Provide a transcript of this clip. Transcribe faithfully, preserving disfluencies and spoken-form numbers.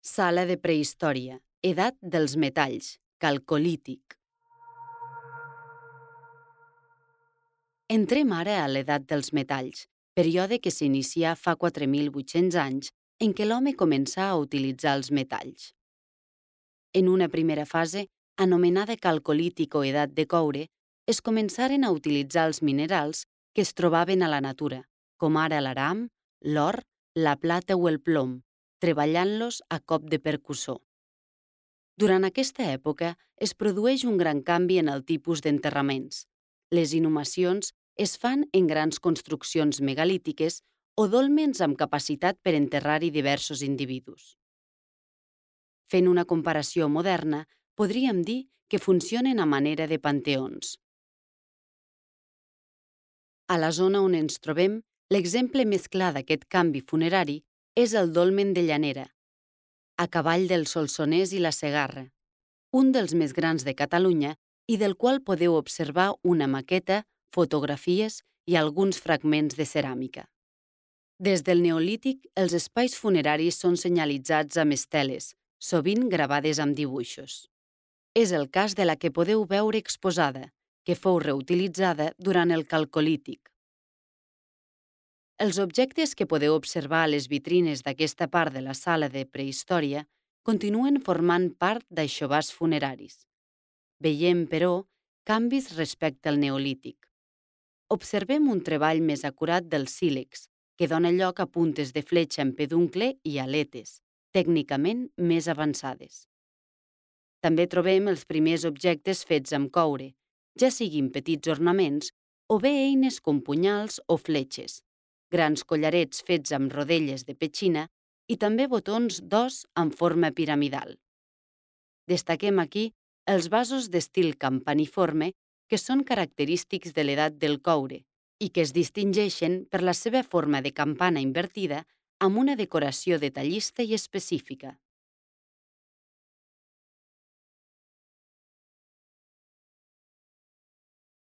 Sala de prehistòria, edat dels metalls, calcolític. Entrem ara a l'edat dels metalls, període que s'inicia fa quatre mil vuit-cents anys en què l'home començà a utilitzar els metalls. En una primera fase, anomenada calcolític o edat de coure, es començaren a utilitzar els minerals que es trobaven a la natura, com ara l'aram, l'or, la plata o el plom, treballant-los a cop de percussor. Durant aquesta època es produeix un gran canvi en el tipus d'enterraments. Les inhumacions es fan en grans construccions megalítiques o dòlmens amb capacitat per enterrar-hi diversos individus. Fent una comparació moderna, podríem dir que funcionen a manera de panteons. A la zona on ens trobem, l'exemple més clar d'aquest canvi funerari és el dolmen de Llanera, a cavall del Solsonès i la Segarra, un dels més grans de Catalunya i del qual podeu observar una maqueta, fotografies i alguns fragments de ceràmica. Des del Neolític, els espais funeraris són senyalitzats amb esteles, sovint gravades amb dibuixos. És el cas de la que podeu veure exposada, que fou reutilitzada durant el Calcolític. Els objectes que podeu observar a les vitrines d'aquesta part de la sala de prehistòria continuen formant part d'aixovars funeraris. Veiem, però, canvis respecte al Neolític. Observem un treball més acurat del sílex, que dona lloc a puntes de fletxa en peduncle i aletes, tècnicament més avançades. També trobem els primers objectes fets amb coure, ja siguin petits ornaments o bé eines com punyals o fletxes, grans collarets fets amb rodelles de petxina i també botons d'os en forma piramidal. Destaquem aquí els vasos d'estil campaniforme que són característics de l'edat del coure i que es distingeixen per la seva forma de campana invertida amb una decoració detallista i específica.